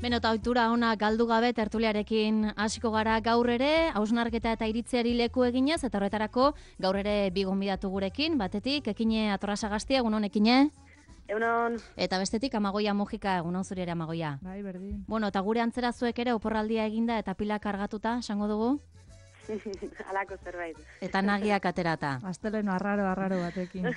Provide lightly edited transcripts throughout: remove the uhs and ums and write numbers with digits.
Beno, eta ohitura ona galdu gabe tertuliarekin hasiko gara gaur ere, hausnarketa eta iritziari leku eginez, eta horretarako gaur ere bi gonbidatu gurekin, batetik, Ekine Atorrasagaztia, egunon Ekine? Egunon. Eta bestetik, Amagoia Mujika, egunon zuri ere Amagoia. Bai, berdin. Bueno, eta gure antzera zuek ere oporraldia eginda eta pila kargatuta, esango dugu? Alako zerbait. Eta nagiak aterata. Asteleno arraro batekin.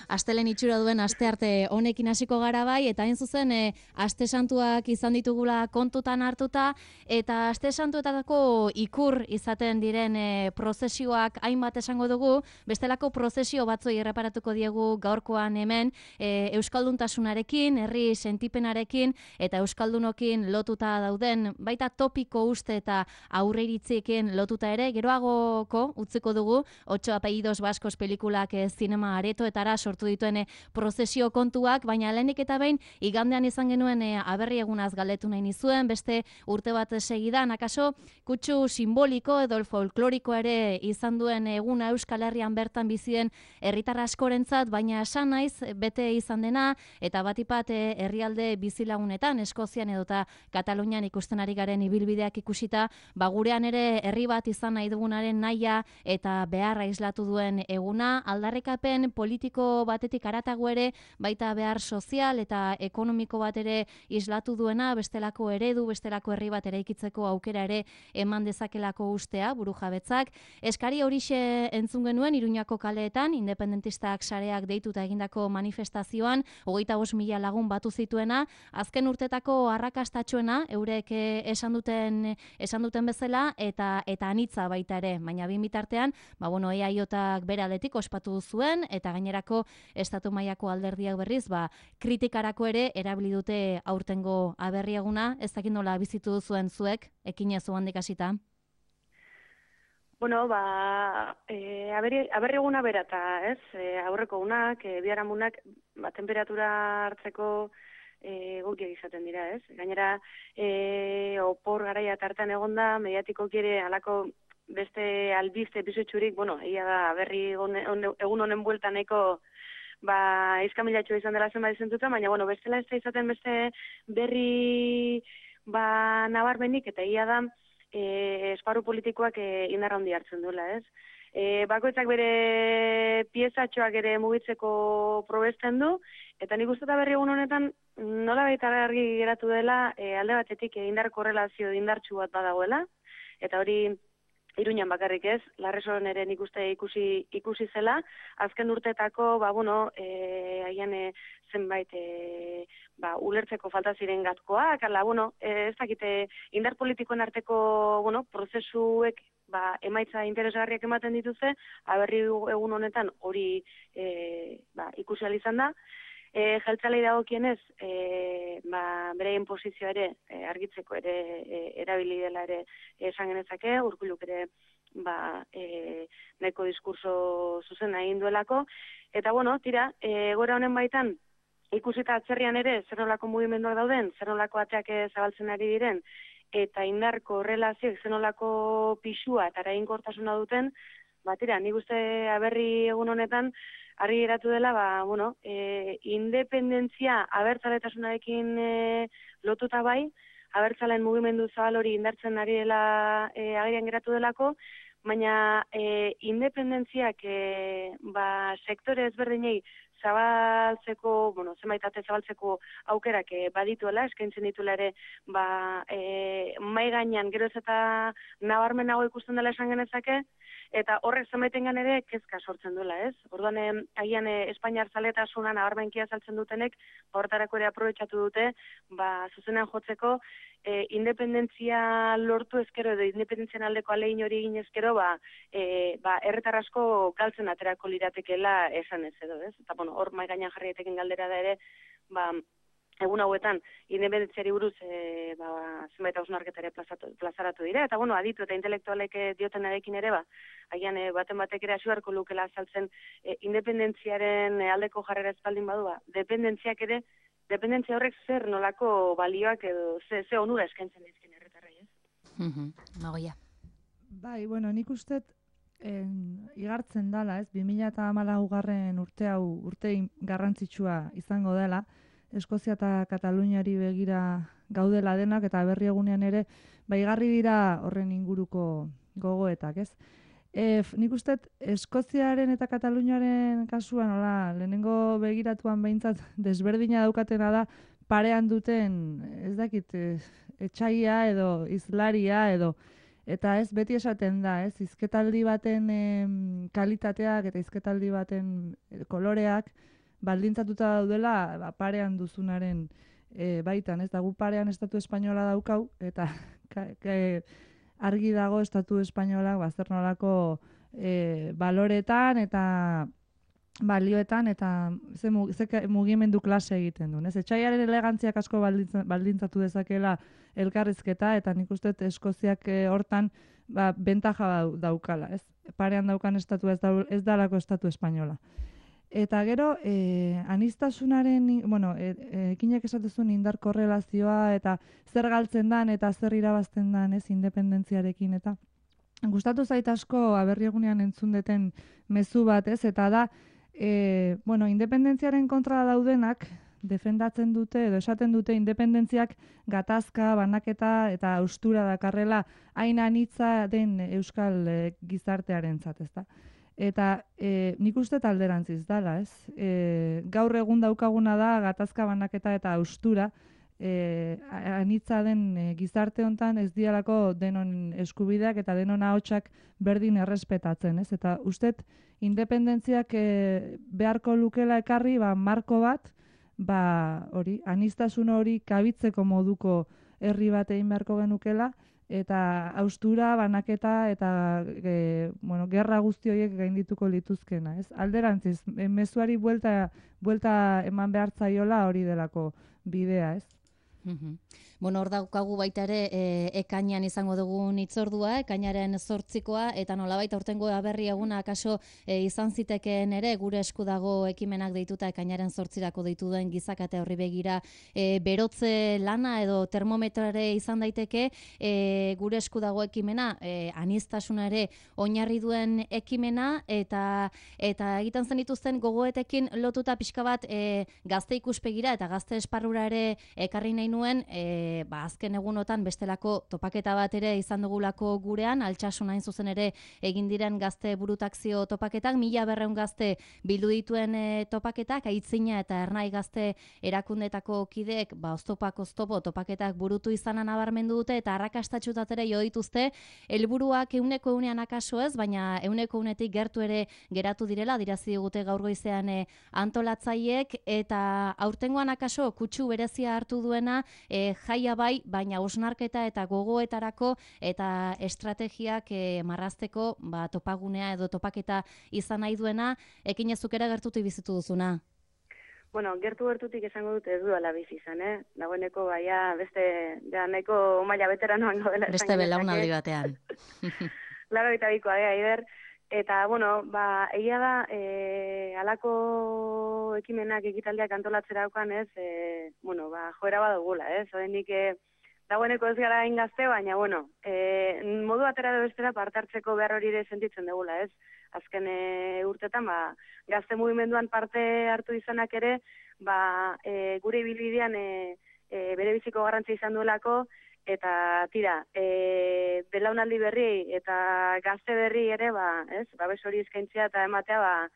Astelen itxura duen astearte honekin hasiko gara bai, eta hain zuzen aste santuak izan ditugula kontutan hartuta, eta aste santuetako ikur izaten diren prozesioak hainbat esango dugu, bestelako prozesio batzoi erreparatuko diegu gaurkoan hemen, euskalduntasunarekin, herri sentipenarekin, eta euskaldunokin lotuta dauden, baita topiko uste eta aurreiritzi lotuta ere, geroagoko utziko dugu, 8 apellidos baskos pelikulak zinema aretoetara sortu dituen prozesio kontuak, baina lehenik eta behin igandean izan genuen aberri egunaz galdetu nahi nizuen, beste urte bat segidan, akaso kutsu simboliko edo folkloriko ere izan duen eguna Euskal Herrian bertan bizien herritar askorentzat, baina esan naiz bete izan dena, eta batipat herrialde bizilagunetan, Eskozian edota Katalunian ikusten ari garen ibilbideak ikusita, gurean ere herri bat izan nahi dugunaren nahia eta beharra islatu duen eguna, aldarrikapen politiko batetik haratago ere, baita behar sozial eta ekonomiko bat ere islatu duena, bestelako eredu, bestelako herri bat eraikitzeko aukera ere eman dezakelako ustea, burujabetzak. Eskari horixe entzun genuen Iruñako kaleetan, independentistak sareak deituta egindako manifestazioan, 25.000 lagun batu zituena, azken urtetako arrakastatxoena, eurek esan duten bezala, eta anitza baita ere, baina bin bitartean, EAJak bere aldetik ospatu zuen, eta gainerako estatu mailako alderdiak berriz, kritikarako ere erabili dute aurtengo aberri eguna, ez dakit nola bizitu zuen zuek, Ekine zu handik hasita? Bueno, aberri eguna berata, ez? Aurreko unak, biharamunak, temperatura hartzeko egokiak izaten dira, ez? Gainera, opor garaia tartan egonda, mediatiko ere alako beste albiste bizutxurik, egia da, berri egun honen bueltan nahiko izkamilatxo izan dela zenbait zentuta, baina, bestela ez da izaten beste berri nabarmenik, eta egia da, esparru politikoak indarra handi hartzen duela, ez? Bakoitzak bere piezatxoak ere mugitzeko probesten du, eta nik uste berri egun honetan nola baita argi geratu dela alde batetik indar korrelazio indartsu bat badagoela, eta hori Iruñan bakarrik ez, Larresoren ere nik uste ikusi zela, azken urtetako, haian zenbait ulertzeko falta ziren gatkoak, ez dakite indar politikoen arteko prozesuek emaitza interesgarriak ematen dituzte, aberri egun honetan hori ikusi ahal izan da. Jeltzalei dagokienez, bereien posizioa ere argitzeko ere erabili dela ere esan genezake, Urkulluk ere nahiko diskurso zuzena egin duelako, eta tira, egoera honen baitan, ikusita atzerrian ere zer nolako mugimenduak dauden, zer nolako ateak zabaltzen ari diren, eta indarko relazioek zer nolako pisua eta eraginkortasuna duten, tira, nik uste aberri egun honetan, argi geratu dela, independentzia abertzaletasunarekin lotuta bai, abertzalen mugimendu zabal hori indartzen ari dela agerian geratu delako, baina independentziak sektore ezberdinei zabaltzeko, zenbait zabaltzeko aukerak badituela, eskaintzen dituela ere, mai gainean gero ez eta nabarmenago ikusten dela esan genezake, eta horrek zenbaitengan ere kezka sortzen duela, ez? Orduan, agian Espainiar zaletasuna nabarmenkia saltzen dutenek, horretarako ere aprobetxatu dute, zuzenean jotzeko, independentzia lortu ezkero edo independentzian aldeko alegin hori egin ezkero, erretar asko galtzen aterako liratekeela esan ez edo, ez? Eta, hor mai gainean jarri daiteken galdera da ere, egun hauetan, independentziari buruz zenbait hausnarketa ere plazaratu dira, eta aditu eta intelektualek diotenarekin ere, agian baten batek ere hasi beharko lukela azaltzen independentziaren aldeko jarrera espaldin badu, dependentzia horrek zer nolako balioak edo ze onura eskaintzen dizkien herritarrei, ez? Magoia. Bai, nik uste igartzen dala, ez? 2014 urte hau urte garrantzitsua izango dela, Eskozia eta Kataluniari begira gaudela denak, eta berri egunean ere, igarri dira horren inguruko gogoetak, ez? Nik uste Eskoziaren eta Kataluniaren kasuan, lehenengo begiratuan behintzat desberdina daukatena da, parean duten, ez dakit, etxaia edo izlaria edo, eta ez beti esaten da, ez, hizketaldi baten kalitateak eta hizketaldi baten koloreak baldintzatuta daudela parean duzunaren baitan, ez da, gu parean estatu espainola daukau, eta argi dago estatu espainolak zer nolako baloretan eta balioetan eta ze mugimendu klase egiten duen. Etxaiaren elegantziak asko baldintzatu dezakela elkarrizketa, eta nik uste Eskoziak hortan bentaja daukala. Parean daukan estatua ez dalako estatu espainola. Eta gero, aniztasunaren, ekinak esatezun indar korrelazioa eta zer galtzen dan eta zer irabazten dan independentziarekin, eta gustatu zait asko Aberri egunean entzun deten mezu bat, eta da, independentziaren kontra daudenak defendatzen dute edo esaten dute independentziak gatazka, banaketa eta haustura dakarrela hain anitza den euskal gizartearentzat, ezta? Eta nik uste alderantziz dala, ez? Gaur egun daukaguna da gatazka, banaketa eta haustura anitza den gizarte hontan ez dialako denon eskubideak eta denon ahotsak berdin errespetatzen, ez? Eta ustet independentziak beharko lukela ekarri marko bat, aniztasun hori kabitzeko moduko herri bat egin beharko genukela, eta haustura, banaketa eta gerra guzti horiek gaindituko lituzkena, ez? Alderantziz, mezuari buelta eman behar zaiola hori delako bidea, ez? Hor daukagu baita ere ekainean izango dugun hitzordua, ekainaren 8koa, eta nolabait aurtengo Aberri eguna akaso izan zitekeen ere gure esku dago ekimenak deituta ekainaren 8rako deitu duen gizakate horri begira berotze lana edo termometroare izan daiteke, gure esku dago ekimena, aniztasuna ere oinarri duen ekimena, eta egiten zen dituzten gogoetekin lotuta pixka bat gazte ikuspegira eta gazte esparrura ere ekarri nahi nuen, azken egunotan bestelako topaketa bat ere izan dugulako gurean, Altsasun hain zuzen ere egin diren gazte burutakzio topaketak, 1200 gazte bildu dituen topaketak, Aitzina eta Ernai gazte erakundetako kideek oztopo topaketak burutu izanan nabarmendu dute, eta arrakastatxutat ere jo dituzte, helburuak 100% akaso ez, baina 100%tik gertu ere geratu direla, dirazi digute gaur goizean antolatzaileek, eta aurtengoan akaso kutsu berezia hartu duena jaia bai, baina osnarketa eta gogoetarako eta estrategiak marrazteko topagunea edo topaketa izan nahi duena, ekinezuk ere gertutik bizitu duzuna. Gertutik esango dut ez duela bizi izan, dagoeneko beste nahiko maila veteranoan gaudela. Beste belaunaldi batean. 82koa Aider. Eta, egia da, halako ekimenak ekitaldiak antolatzera daukan, joera badugula, ez? Odenik, dagoeneko ez gara ingazte, baina, modu batera edo bestera parte hartzeko behar hori ere sentitzen dugula, ez? Azken urtetan, gazte mugimenduan parte hartu izanak ere, gure ibilbidean bere biziko garrantzia izan duelako, eta tira, belaunaldi berri eta gazte berri ere, babes hori eskaintzea eta ematea,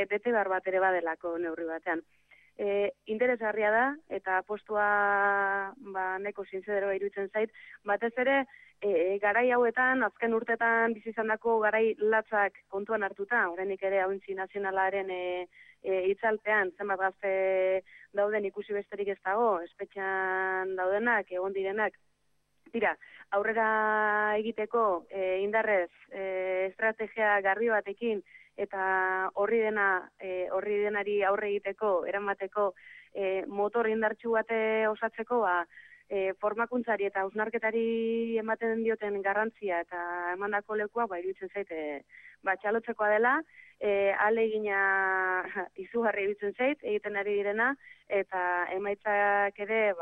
bete behar bat ere badelako neurri batean. Interesgarria da, eta postua neko zinzedero iruditzen zait, batez ere, garai hauetan, azken urtetan bizizandako garai latzak kontuan hartuta, horrenik ere hauntzi nazionalaren itzalpean, zenbat gazte dauden ikusi besterik ez dago, espetxean daudenak, egon direnak, tira, aurrera egiteko indarrez estrategia garbi batekin eta horri denari aurre egiteko, eramateko motor indartsu bate osatzeko, formakuntzari eta hausnarketari ematen dioten garrantzia eta emandako lekua, iruditzen zait, txalotzekoa dela, ahalegina izugarri iruditzen zait, egiten ari direna, eta emaitzak ere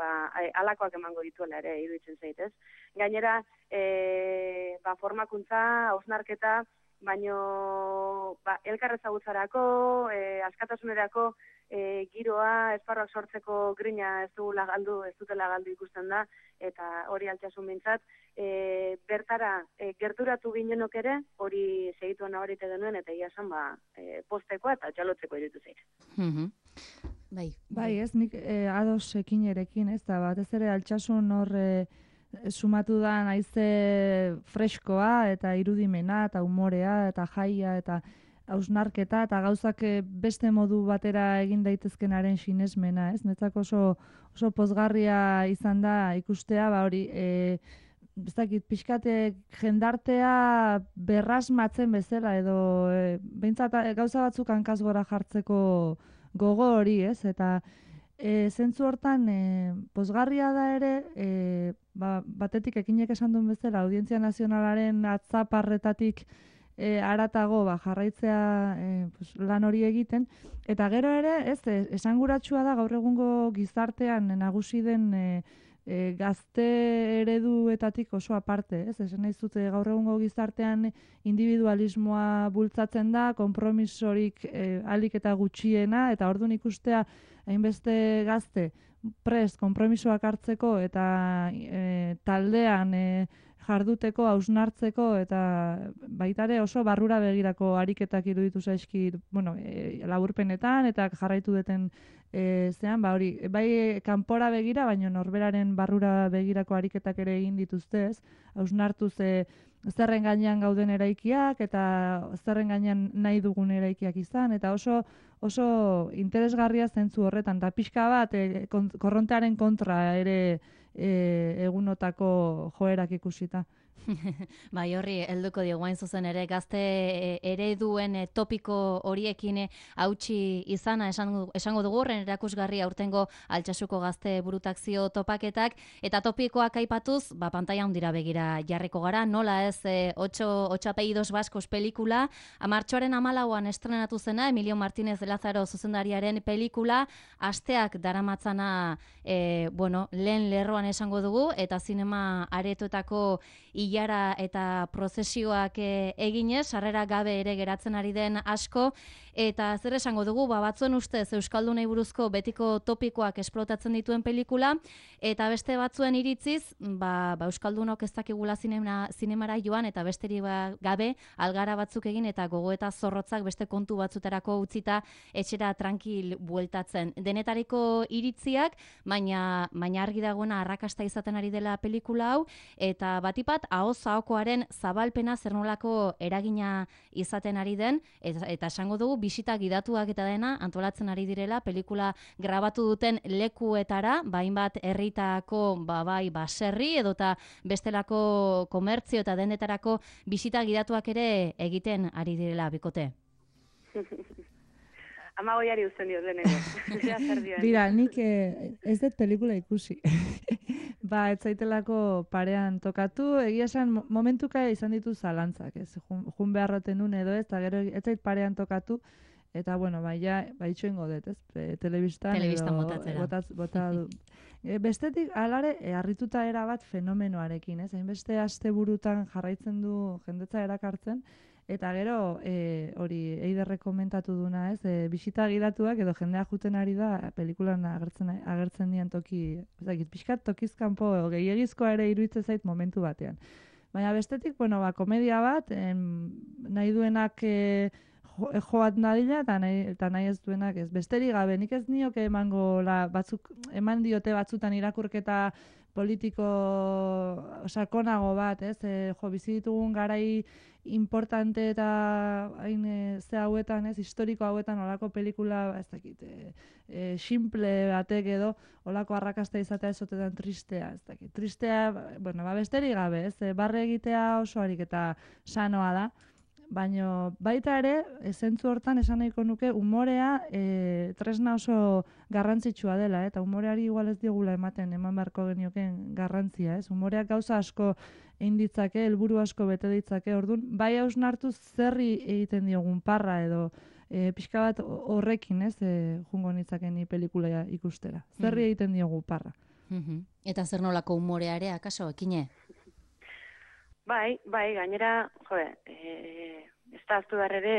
halakoak emango dituela ere iruditzen zait, ez? Gainera, formakuntza, hausnarketa, baino elkar ezagutzarako, askatasunerako giroa, esparroak sortzeko grina ez dutela galdu ikusten da, eta hori Altsasun mintzat, bertara gerturatu ginenok ere, hori segituan nabarite genuen, eta ia esan postekoa eta txalotzeko iruditu zait. Bai, ez, nik ados ekinerekin, ez da, batez ere Altsasun hor sumatu da haize freskoa, eta irudimena, eta umorea, eta jaia, eta hausnarketa, eta gauzak beste modu batera egin daitezkenaren sinesmena, ez? Netzako oso pozgarria izan da ikustea, hori, ez dakit, pixkate jendartea berrasmatzen bezala, edo behintzat gauza batzuk hankaz gora jartzeko gogo hori, ez? Eta zentzu hortan, pozgarria da ere, batetik ekinek esan duen bezala, Audientzia Nazionalaren atzaparretatik haratago jarraitzea lan hori egiten, eta gero ere, ez, esanguratsua da gaur egungo gizartean nagusi den gazte ereduetatik oso aparte, ez? Esan nahi zute gaur egungo gizartean individualismoa bultzatzen da, konpromisorik ahalik eta gutxiena, eta orduan ikustea hainbeste gazte prest konpromisoak hartzeko eta taldean jarduteko, hausnartzeko, eta baitare oso barrura begirako ariketak iruditu zaizki, laburpenetan, eta jarraitu duten zean, hori, bai kanpora begira, baina norberaren barrura begirako ariketak ere egin dituzte, ez? Hausnartu zerren gainean gauden eraikiak, eta zerren gainean nahi dugun eraikiak izan, eta oso interesgarria zentzu horretan, eta pixka bat korrontearen kontra ere egunotako joerak ikusita. Bai, horri helduko diogu hain zuzen ere gazte ereduen topiko horiekin hautsi izana esango dugu horren erakusgarri aurtengo Altsasuko gazte burutakzio topaketak, eta topikoak aipatuz, pantaila handira begira jarriko gara, nola ez 8 apellidos vascos pelikula, martxoaren 14an estrenatu zena, Emilio Martínez de Lázaro zuzendariaren pelikula, asteak daramatzana lehen lerroan esango dugu, eta zinema aretoetako ilara eta prozesioak eginez, sarrera gabe ere geratzen ari den asko, eta zer esango dugu, batzuen ustez Euskaldunei buruzko betiko topikoak esplotatzen dituen pelikula, eta beste batzuen iritziz, Euskaldunok ez dakigula zinemara joan, eta besteri gabe algara batzuk egin, eta gogoeta zorrotzak beste kontu batzutarako utzita etxera tranquil bueltatzen. Denetariko iritziak, baina argi dagoena arrakasta izaten ari dela pelikula hau, eta batipat ahoz-ahokoaren zabalpena zer nolako eragina izaten ari den, eta esango dugu bisita gidatuak eta dena antolatzen ari direla pelikula grabatu duten lekuetara, hainbat herritako baserri edota bestelako komertzio eta dendetarako bisita gidatuak ere egiten ari direla bikote. Amagoiari uzten diot lehenengo. Bira, nik ez dut pelikula ikusi. Ez zaitelako parean tokatu, egia esan momentuka izan ditu zalantzak, ez, jun beharroten nun edo ez, eta gero ez zait parean tokatu, eta itxoingo dut, ez, telebistan bota du. Bestetik, alare, harrituta erabat fenomenoarekin, ez, hainbeste asteburutan jarraitzen du jendetza erakartzen, eta gero, hori, Eiderrek komentatu duna, ez, bisita gidatuak edo jendea juten ari da pelikulan agertzen dian toki, pixkat tokizkanpo gehiagizkoa ere iruditzen zait momentu batean. Baina bestetik, komedia bat, nahi duenak joat nadila eta nahi ez duenak ez. Besterik gabe, nik ez nioke eman diote batzutan irakurketa politiko sakonago bat, ez? Bizi ditugun garai importante eta hain hauetan, ez, historiko hauetan olako pelikula, ez dakit, simple batek edo olako arrakasta izatea ezotetan tristea, ez dakit. Tristea, besterik gabe, ez? Barre egitea oso harik eta sanoa da. Baina baita ere, zentzu hortan esan nahiko nuke, umorea tresna oso garrantzitsua dela, eta umoreari igual ez diogula eman beharko genioken garrantzia, ez? Umoreak gauza asko egin ditzake, helburu asko bete ditzake, orduan, bai hausnartu zerri egiten diogun parra edo pixka bat horrekin, ez, jungo nitzakeni pelikula ikustera. Zerri egiten diogu parra. Eta zer nolako umorea ere, akaso, ekine? Bai, gainera, ez da aztu behar ere,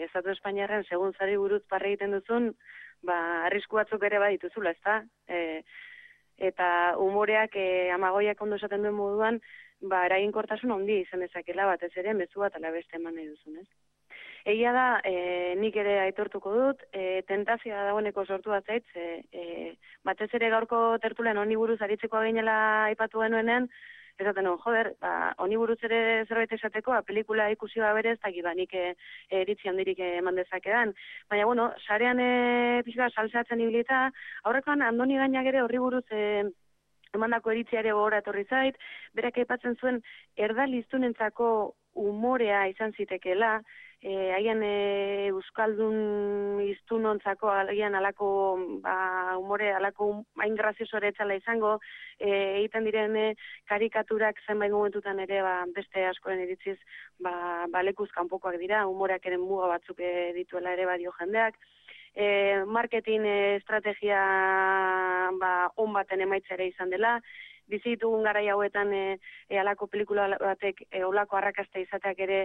Estatu Espainiarren segun zari buruz parra egiten duzun, arrisku batzuk ere badituzula, ezta? Eta umoreak Amagoiak ondo esaten duen moduan, eraginkortasun handia izan dezakela batez ere mezu bat ala beste eman nahi duzun, ez? Egia da, nik ere aitortuko dut, tentazioa dagoeneko sortu bat zait, batez ere gaurko tertulian honi buruz aritzeko ginela aipatu genuenean, esaten nuen, joder, honi buruz ere zerbait esateko, pelikula ikusi berez, eta nik eritzi handirik eman dezakedan. Baina, bueno, sarean pixka saltzatzen ibilita, aurrekoan Andoni Gainak ere horri buruz emandako eritziare gogora etorri zait, berak aipatzen zuen erdaliztunentzako umorea izan zitekeela, haien euskaldun iztunontzako haien alako umore, alako hain grazioso ere etxala izango, egiten diren karikaturak zenbait momentutan ere beste askoren iritziz lekuz kanpokoak dira, umoreak ere muga batzuk dituela ere badio jendeak. Marketing estrategia on baten emaitza ere izan dela, bizi ditugun garai hauetan halako pelikula batek olako arrakasta izateak ere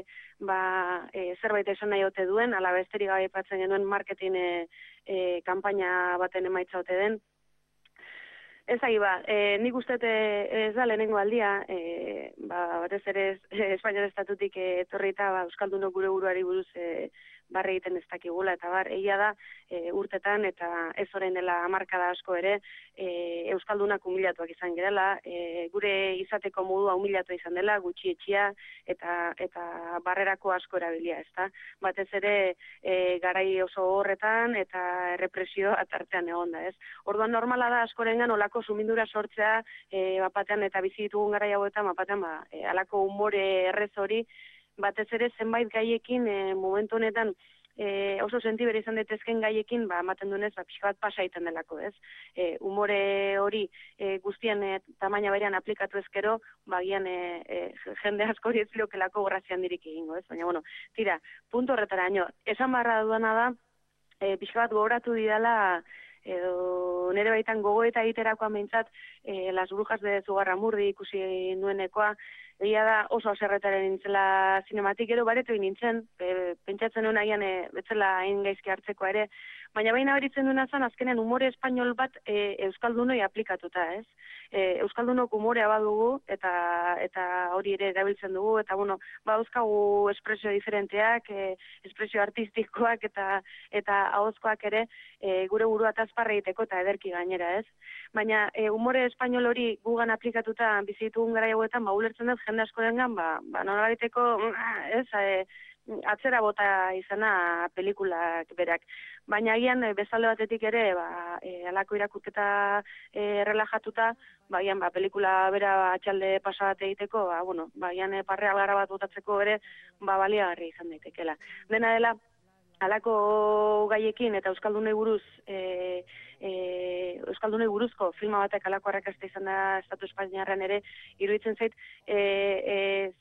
zerbait esan nahi ote duen, ala besterik gabe aipatzen genuen marketing kanpaina baten emaitza ote den. Ez nik uste ez da lehenengo aldia, batez ere Espainiar estatutik etorri eta euskaldunok gure buruari buruz barre egiten ez dakigula, eta egia da urtetan eta ez orain dela hamarkada asko ere euskaldunak humilatuak izan gerela, gure izateko modua humilatu izan dela, gutxi etxia eta barrerako asko erabilia, ezta? Batez ere garai oso horretan eta errepresio atartean egon da, ez? Orduan normala da askorengan olako sumindura sortzea bapatean eta bizi ditugun garai hauetan bapatean alako umore errez hori, batez ere zenbait gaiekin momentu honetan oso sentibera izan daitezken gaiekin ematen duenez pixka bat pasa egiten delako, ez? Umore hori guztien tamaina berean aplikatu ezkero, bagian jende asko hori ez liokelako grazia handirik egingo, ez? Baina, bueno, tira, punto horretara, esan barra duena da, pixka bat gogoratu didala edo nire baitan gogoeta egiterakoa meintzat Las Brujas de Zugarramurdi ikusi nuenekoa, egia da oso haserretaren nintzela zinematik, gero baretu nintzen, pentsatzen nuen agian betzela hain gaizki hartzeko ere, baina baina beritzen duena zen azkenen umore espainol bat euskaldunoi aplikatuta, ez? Euskaldunok umorea badugu eta hori ere erabiltzen dugu, eta bueno, dauzkagu espresio diferenteak, espresio artistikoak eta ahozkoak ere gure burua tazparra egiteko eta ederki gainera, ez? Baina umore espainol hori gugan aplikatuta bizitugun gara hauetan, ulertzen dut jende asko dengan, nolabaiteko, ez, atzera bota izana pelikulak berak. Baina agian bezalde batetik ere, alako irakurketa relajatuta, bagian pelikula bera atxalde pasa bat egiteko, bagian parre algara bat botatzeko ere, baliagarri izan daitekela. Dena dela, alako gaiekin eta euskaldunei buruz euskaldunei buruzko filma batek alako arrakasta izan da Estatu Espainiarrean ere, iruditzen zait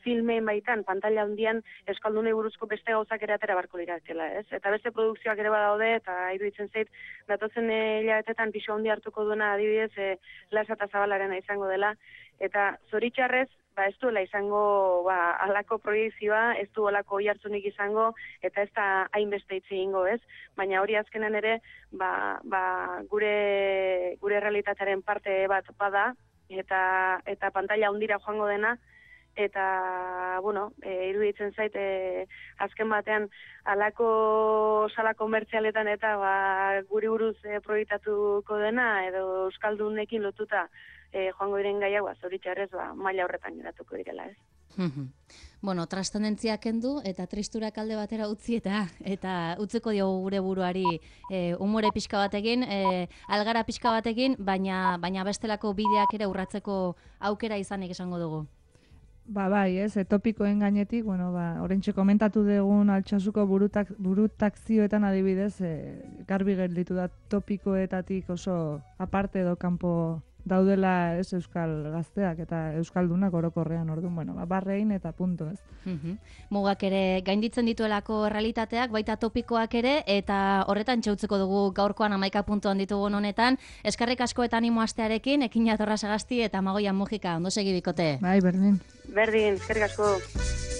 filmein baitan, pantalla handian euskaldunei buruzko beste gauzak ere atera barko liratela, ez? Eta beste produkzioak ere badaude, eta iruditzen zait datozen hilabetetan pisu handi hartuko duena adibidez Lasa eta Zabalarena izango dela, eta zoritxarrez ez duela izango alako proiekzioa, ez du alako oihartzunik izango, eta ez da hainbeste hitz egingo, ez? Baina hori azkenen ere, gure realitatearen parte bat bada, eta pantalla handira joango dena, eta, iruditzen zait, azken batean, alako sala komertzialetan eta guri buruz proiektatuko dena, edo euskaldunekin lotuta, joango diren gaiak, zoritxarrez, maila horretan geratuko direla, ez? Bueno, transcendentzia kendu eta tristurak alde batera utzi eta utziko diogu gure buruari umore pixka batekin, algara pixka batekin, baina bestelako bideak ere urratzeko aukera izanik esango dugu. Bai, ez, topikoen gainetik, oraintxe komentatu dugun Altsasuko burutakzioetan adibidez, garbi gelditu da topikoetatik oso aparte edo kanpo daudela ez euskal gazteak eta euskaldunak orokorrean, orduan, barrein eta punto, ez. Mugak ere gainditzen dituelako realitateak, baita topikoak ere, eta horretan txautzeko dugu gaurkoan 11 puntuan ditugun honetan. Eskerrik asko eta animo astearekin, ekin jatorra Sagasti eta Amagoian Mujika, ondo segi bikote. Bai, berdin. Berdin, eskerrik asko.